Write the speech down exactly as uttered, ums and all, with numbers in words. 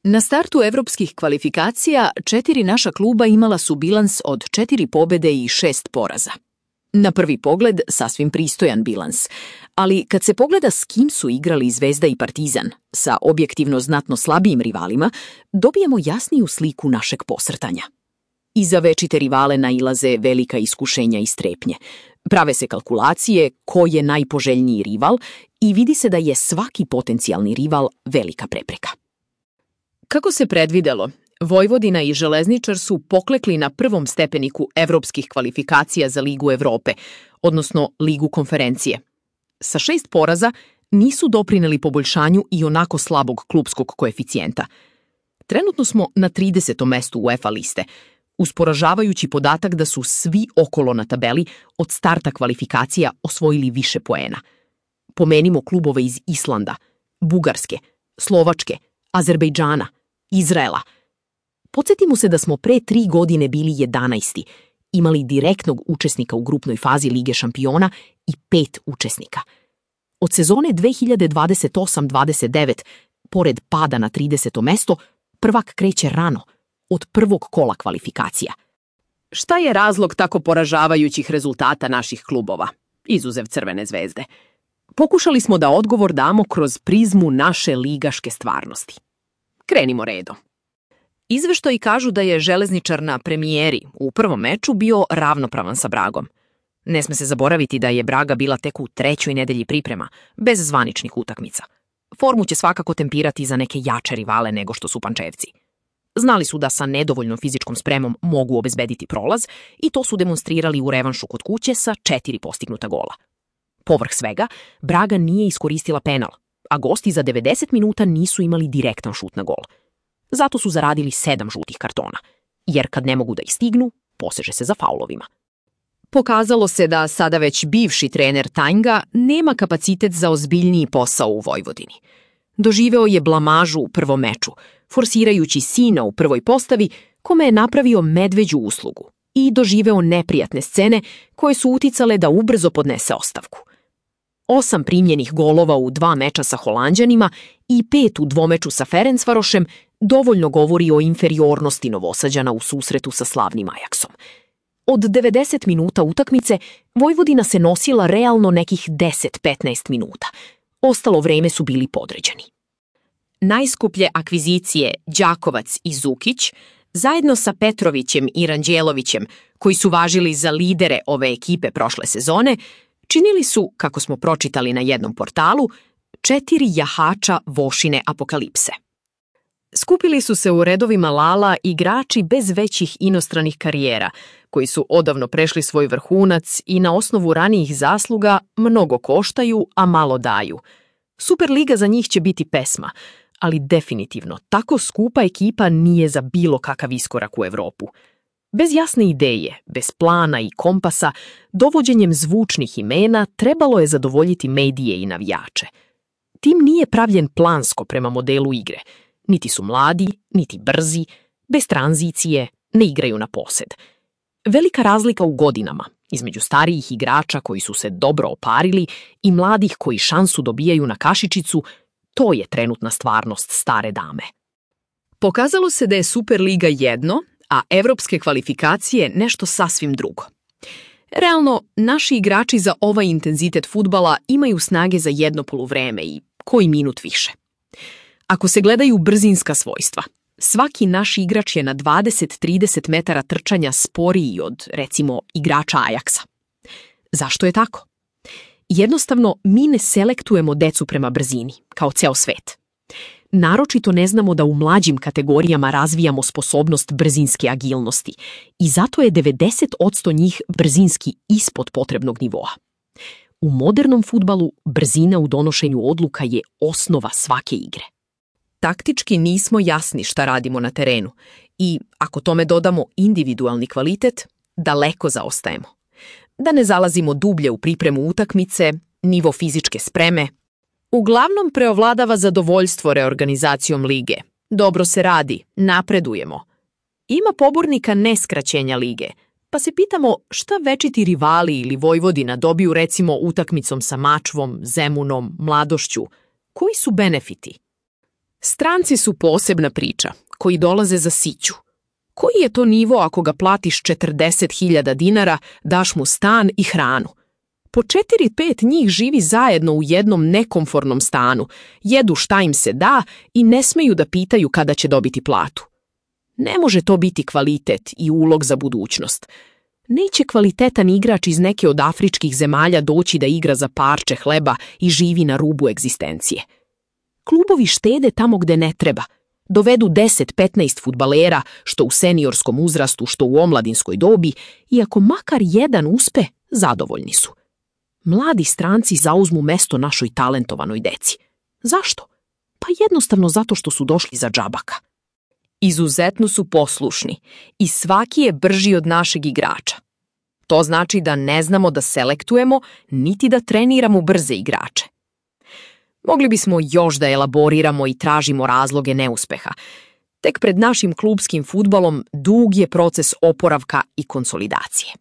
Na startu evropskih kvalifikacija četiri naša kluba imala su bilans od četiri pobede i šest poraza. Na prvi pogled sasvim pristojan bilans, ali kad se pogleda s kim su igrali Zvezda i Partizan, sa objektivno znatno slabijim rivalima, dobijemo jasniju sliku našeg posrtanja. Iza večite rivale nailaze velika iskušenja i strepnje. Prave se kalkulacije ko je najpoželjniji rival i vidi se da je svaki potencijalni rival velika prepreka. Kako se predvidelo, Vojvodina i Železničar su poklekli na prvom stepeniku evropskih kvalifikacija za Ligu Evrope, odnosno Ligu konferencije. Sa šest poraza nisu doprineli poboljšanju i onako slabog klupskog koeficijenta. Trenutno smo na tridesetom mestu UEFA liste, uz poražavajući podatak da su svi okolo na tabeli od starta kvalifikacija osvojili više poena. Pomenimo klubove iz Islanda, Bugarske, Slovačke, Azerbejdžana, Izraela. Podsjetimo se da smo pre tri godine bili jedanaesti, imali direktnog učesnika u grupnoj fazi Lige šampiona i pet učesnika. Od sezone dve hiljade dvadeset osam dvadeset devet, pored pada na trideseto mesto, prvak kreće rano, od prvog kola kvalifikacija. Šta je razlog tako poražavajućih rezultata naših klubova, izuzev Crvene zvezde? Pokušali smo da odgovor damo kroz prizmu naše ligaške stvarnosti. Krenimo redom. Izveštaji kažu da je Železničar na premijeri u prvom meču bio ravnopravan sa Bragom. Ne sme se zaboraviti da je Braga bila tek u trećoj nedelji priprema, bez zvaničnih utakmica. Formu će svakako tempirati za neke jače rivale nego što su Pančevci. Znali su da sa nedovoljnom fizičkom spremom mogu obezbediti prolaz i to su demonstrirali u revanšu kod kuće sa četiri postignuta gola. Povrh svega, Braga nije iskoristila penal, a gosti za devedeset minuta nisu imali direktan šut na gol. Zato su zaradili sedam žutih kartona, jer kad ne mogu da ih stignu, poseže se za faulovima. Pokazalo se da sada već bivši trener Tanjga nema kapacitet za ozbiljniji posao u Vojvodini. Doživeo je blamažu u prvom meču, forsirajući sina u prvoj postavi, kome je napravio medveđu uslugu i doživeo neprijatne scene koje su uticale da ubrzo podnese ostavku. Osam primljenih golova u dva meča sa Holanđanima i pet u dvomeču sa Ferencvarošem dovoljno govori o inferiornosti Novosađana u susretu sa slavnim Ajaksom. Od devedeset minuta utakmice Vojvodina se nosila realno nekih deset do petnaest minuta. Ostalo vreme su bili podređeni. Najskuplje akvizicije Đakovac i Zukić, zajedno sa Petrovićem i Ranđelovićem, koji su važili za lidere ove ekipe prošle sezone, činili su, kako smo pročitali na jednom portalu, četiri jahača Vošine apokalipse. Skupili su se u redovima Lala igrači bez većih inostranih karijera, koji su odavno prešli svoj vrhunac i na osnovu ranijih zasluga mnogo koštaju, a malo daju. Superliga za njih će biti pesma, ali definitivno tako skupa ekipa nije za bilo kakav iskorak u Evropu. Bez jasne ideje, bez plana i kompasa, dovođenjem zvučnih imena trebalo je zadovoljiti medije i navijače. Tim nije pravljen plansko prema modelu igre. Niti su mladi, niti brzi, bez tranzicije, ne igraju na posed. Velika razlika u godinama između starijih igrača koji su se dobro oparili i mladih koji šansu dobijaju na kašičicu, to je trenutna stvarnost stare dame. Pokazalo se da je Superliga jedno, a evropske kvalifikacije nešto sasvim drugo. Realno, naši igrači za ovaj intenzitet fudbala imaju snage za jedno poluvreme i koji minut više. Ako se gledaju brzinska svojstva, svaki naš igrač je na dvadeset do trideset metara trčanja sporiji od, recimo, igrača Ajaksa. Zašto je tako? Jednostavno, mi ne selektujemo decu prema brzini, kao ceo svet. Naročito ne znamo da u mlađim kategorijama razvijamo sposobnost brzinske agilnosti i zato je devedeset posto njih brzinski ispod potrebnog nivoa. U modernom fudbalu brzina u donošenju odluka je osnova svake igre. Taktički nismo jasni šta radimo na terenu i, ako tome dodamo individualni kvalitet, daleko zaostajemo. Da ne zalazimo dublje u pripremu utakmice, nivo fizičke spreme. Uglavnom preovladava zadovoljstvo reorganizacijom lige. Dobro se radi, napredujemo. Ima pobornika neskraćenja lige, pa se pitamo šta večiti rivali ili Vojvodina dobiju recimo utakmicom sa Mačvom, Zemunom, Mladošću. Koji su benefiti? Stranci su posebna priča, koji dolaze za siću. Koji je to nivo ako ga platiš četrdeset hiljada dinara, daš mu stan i hranu? Po četiri, pet njih živi zajedno u jednom nekomfornom stanu, jedu šta im se da i ne smeju da pitaju kada će dobiti platu. Ne može to biti kvalitet i ulog za budućnost. Neće kvalitetan igrač iz neke od afričkih zemalja doći da igra za parče hleba i živi na rubu egzistencije. Klubovi štede tamo gde ne treba. Dovedu deset petnaest fudbalera, što u seniorskom uzrastu, što u omladinskoj dobi, i ako makar jedan uspe, zadovoljni su. Mladi stranci zauzmu mesto našoj talentovanoj deci. Zašto? Pa jednostavno zato što su došli za džabaka. Izuzetno su poslušni i svaki je brži od našeg igrača. To znači da ne znamo da selektujemo, niti da treniramo brze igrače. Mogli bismo još da elaboriramo i tražimo razloge neuspeha. Tek pred našim klubskim fudbalom dug je proces oporavka i konsolidacije.